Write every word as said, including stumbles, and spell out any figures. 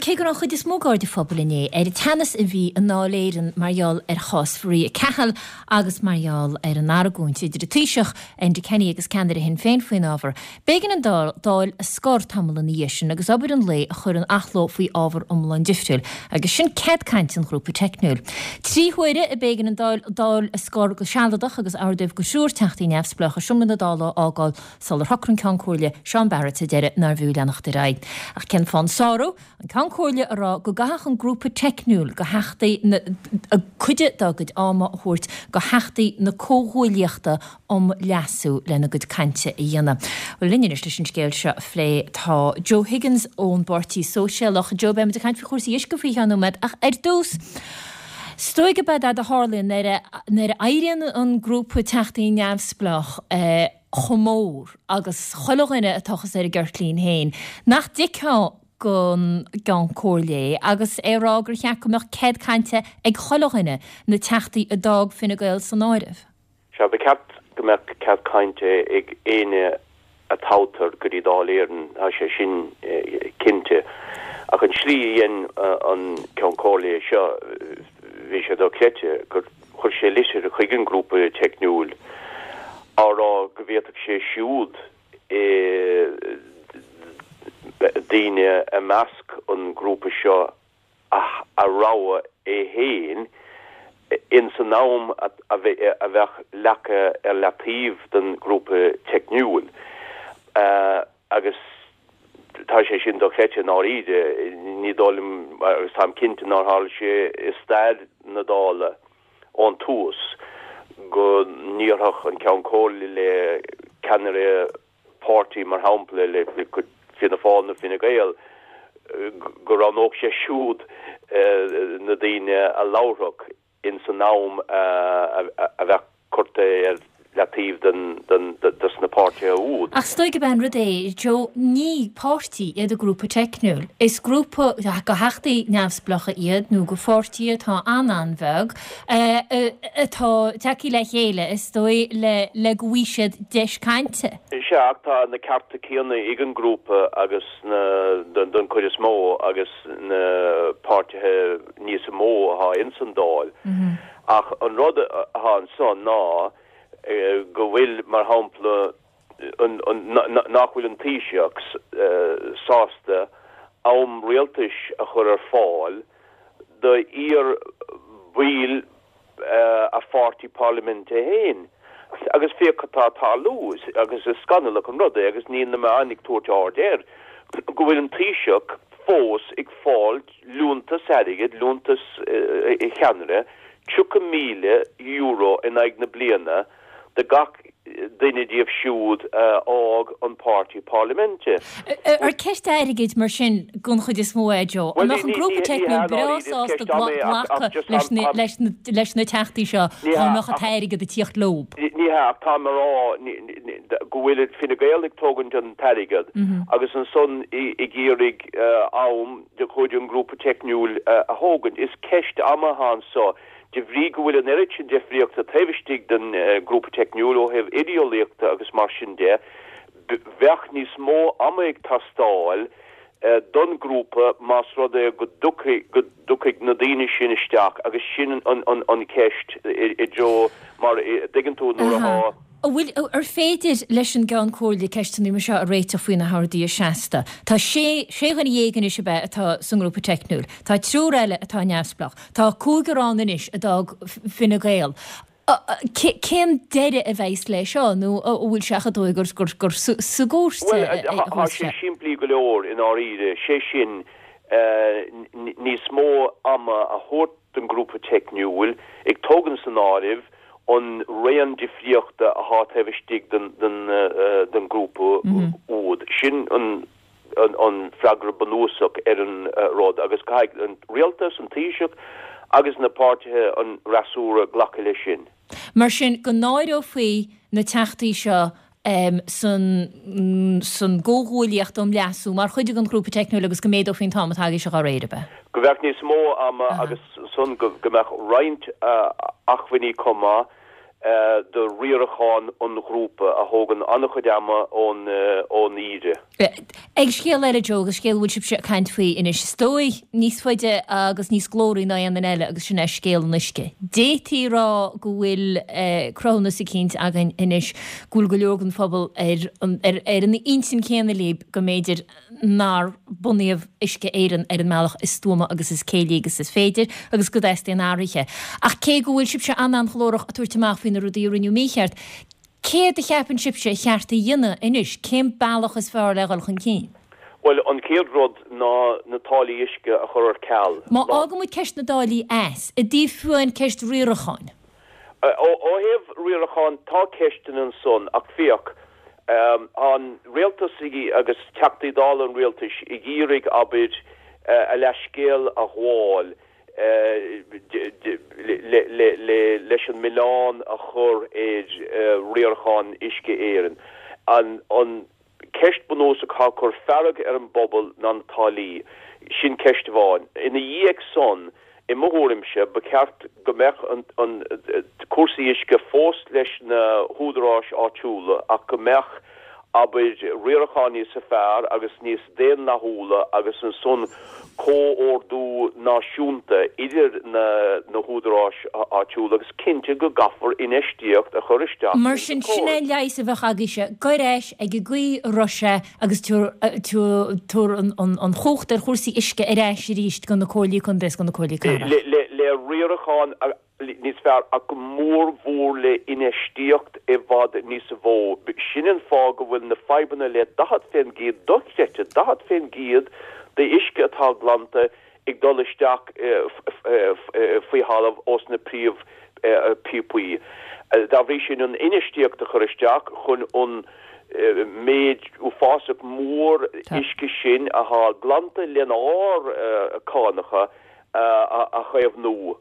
cé go raibh an chuid is mó d'aird an phobail inné ar an teannas a bhí i nDáil Éireann mar gheall ar chás Mharia Cahill agus mar gheall ar an argóint idir an Taoiseach, Enda Kenny agus ceannaire Shinn Féin faoin ábhar, b'éigean an Dáil a scor tamall ina dhiaidh sin agus obair an lae a chur in athló faoi ábhar iomlán difriúil, agus sin cead cainte an ghrúpa teicniúil. Trí huaire a b'éigean an Dáil a scor go sealadach agus ordaíodh do thriúr Teachtaí Neamhspleácha seomra na Dála a fhágáil sular shocraigh an Ceann Comhairle, Seán Barrett sa deireadh nárbh fhiú leanacht ar aghaidh. Ach cén fáth an sárú? An Ceann Comhairle a rá go gcaithfeadh an grúpa teicniúil do Theachtaí na cuid dá gcuid ama a thabhairt do Theachtaí na Comhghuaillíochta um Leasú lena gcuid cainte a dhéanamh. Bhuel linn anois leis an scéal seo a phlé tá Joe Higgins ón bPáirtí Sóisialach. Joe, beimid ag caint faoi chúrsaí uisce faoi cheann nóiméad ach ar dtús, is dóigh gurb é a tharlaíonn nuair a éiríonn an grúpa Teachtaí Neamhspleách chomh mór agus chuile dhuine ag tochas ar a gceirtlín féin, nach dtuigfeá don gCeann Comhairle é agus é ag rá gur cheart go mbeadh cead cainte ag chuile dhuine, na Teachtaí a d'fhág Fine Gael san áireamh. Sea, ba cheart go mbeadh cead cainte ag éinne a toghtar go dtí Dáil Éireann, tá sé sin cinnte. Ach an tslí a dhein an Ceann Comhairle é seo, bhí sé dochreidte gur chuir sé litir chuig an ngrúpa teicniúil á rá go bhféadfadh sé siúd daoine i measc an ghrúpa seo a rogha é féin ins an am a bheadh leagtha ar leataobh don ghrúpa teicniúil. Agus tá sé sin dochreidte i ndáiríre, ní dóigh liom, agus táim cinnte nár tharla sé i stair na Dála ón tús, go ndéarfadh an Ceann Comhairle le ceannaire páirtí, mar shampla, le Fianna Fáil nó Fine Gael, go roghnódh sé siúd na daoine a labharfadh ins an am a bheadh curtha ar leataobh dos na páirtithe úd. Ach is dóigh gurb é an rud é, Joe, ní páirtí iad an grúpa teicniúil. Is grúpa de theachtaí neamhspleácha iad nó de pháirtí atá an-an-bheag atá tagtha le chéile, is dóigh, le go bhfaighidh siad deis cainte. Sea, ach tá na cearta céanna ag an ngrúpa agus na, don chuid is mó, agus na páirtithe níos mó atá ins an Dáil. Ach an rud atá anso ná go bhfuil, mar shampla, nach bhfuil an Taoiseach sásta am rialtais a chur ar fáil do iar-bhaill a pháirtí parlaiminte féin. Agus féach cad tá ag tarlú, agus is scannalach an rud é agus níl na meáin ag tabhairt aird air, go bhfuil an Taoiseach fós ag fáil liúntas airgid, liúntas cheannaire, tríocha míle euro in aghaidh na bliana do gach duine díobh siúd a fhág an páirtí parlaiminte. Ar ceist airgid mar sin den chuid is mó é, Joe? An mbeadh an grúpa teicniúil breá sásta glacadh leis na teachtaí seo dá mbeadh an t-airgead ag tíocht leo? Ní hea, ach táim a rá go bhfuil Fine Gael ag tógaint an t-airgead agus ansan ag iarraidh am de chuid an ghrúpa teicniúil a thógaint. Is ceist ama atá anso de bhrí go bhfuil an oiread sin difríochta taobh istigh den ghrúpa teicniúil ó thaobh idéolaíochta agus mar sin de, bheadh níos mó ama ag teastáil don ghrúpa más rud é go dtiocfaidh na daoine sin isteach agus sin an cheist i dtreo mar a dtuigeann tú nuair atá. An bhfuil, ar féidir leis an gCeann Comhairle ceisteanna mar seo a réiteach faoi na horduithe seasta? Tá sé, sé dhuine dhéag anois ab ea atá sa ngrúpa teicniúil. Tá triúr eile atá neamhspleách. Tá cúigear ann anois a d'fhág Fine Gael. Cén deireadh a bheas leis seo nó an bhfuil sé chomh dóigh gur, gur, gur sa gcúirt a Bhuel, tá sé simplí go leor i ndáiríre, sé sin, níos mó ama a thabhairt don ghrúpa teicniúil, ag tógaint san áireamh an raon difríochta atá taobh istigh den ghrúpa úd. Sin an freagra bunúsach ar an rud agus caithfidh an rialtas, an Taoiseach agus na páirtithe an fhreasúra glacadh leis sin. Mar sin, go n-áireofaí na teachtaí seo san san gComhghuaillíocht um Leasú mar chuid den ghrúpa teicniúil agus go méadófaí an t-am atá aige seo dá réir, ab ea? Go mbeadh níos mó ama agus ansan go mbeadh roinnt acmhainní chomh maith do riarachán an ghrúpa a thógann an-chuid ama ón ón Aire. Ag scéal eile Joe agus scéal bhfuil sibhse ag caint faoi anois is dóigh níos faide agus níos glóraí ná aon duine eile agus sin é scéal an uisce. D'fhéadfaí rá go bhfuil cruthúnas eicínt againn anois go bhfuil go leor den phobal ar ar ar an intinn céanna libh go mb'fhéidir nár bunaíodh Uisce Éireann ar an mbealach is stuama agus is céillí agus is féidir agus go dteastaíonn athruithe. Ach cé go bhfuil sibhse an-an-ghlórach ag tabhairt amach faoi na rudaí a rinneadh mícheart, céard a cheapann sibhse ba cheart a dhéanamh anois, cén bealach is fearr le dhul chun cinn? Bhuel, an chéad rud ná na táillí uisce a chur ar ceal. Má fhágann muid ceist na dtáillí as, i dtaobh fiú ceist riaracháin. Ó thaobh riaracháin tá ceisteanna ansan ach féach, an rialtas agus Teachtaí Dála an rialtais ag iarraidh abair a leithscéal a ghabháil leis an milleán a chur ar riarachán Uisce Éireann. An ceist bunúsach atá ag cur fearg ar an bpobal ná na táillí, sin ceist amháin. Ina dhiaidh san, i mo thuairimse, ba cheart go mbeadh an cúrsaí uisce fós leis na húdaráis áitiúla ach go mbeadh, abair, riarachán níos fearr agus níos daonlathúla agus ansan comhordú náisiúnta idir na húdaráis áitiúla agus cinnte go gcaithfear infheistíocht a chur isteach Mar sin, sin é an leigheas a bheadh agaibhse, gabh ar ais ag an gcaoi a raibh sé agus tabhair an chumhacht ar chúrsaí uisce ar ais arís do na comhairlí contae is do na comhairlí cathrach. Le riarachán níos fearr ach go mór mhór le infheistíocht i bhfad níos mó. Sin an fáth go bhfuil na fadhbanna le daichead fén gcéad dochreidte, daichead fén gcéad d'uisce atá glanta ag dul isteach faoi thalamh ós na príomh píopaí. Dá bhrí sin an infheistíocht a chur isteach chun an méid uafásach mór uisce sin atá glanta lenár cánacha a chaomhnú.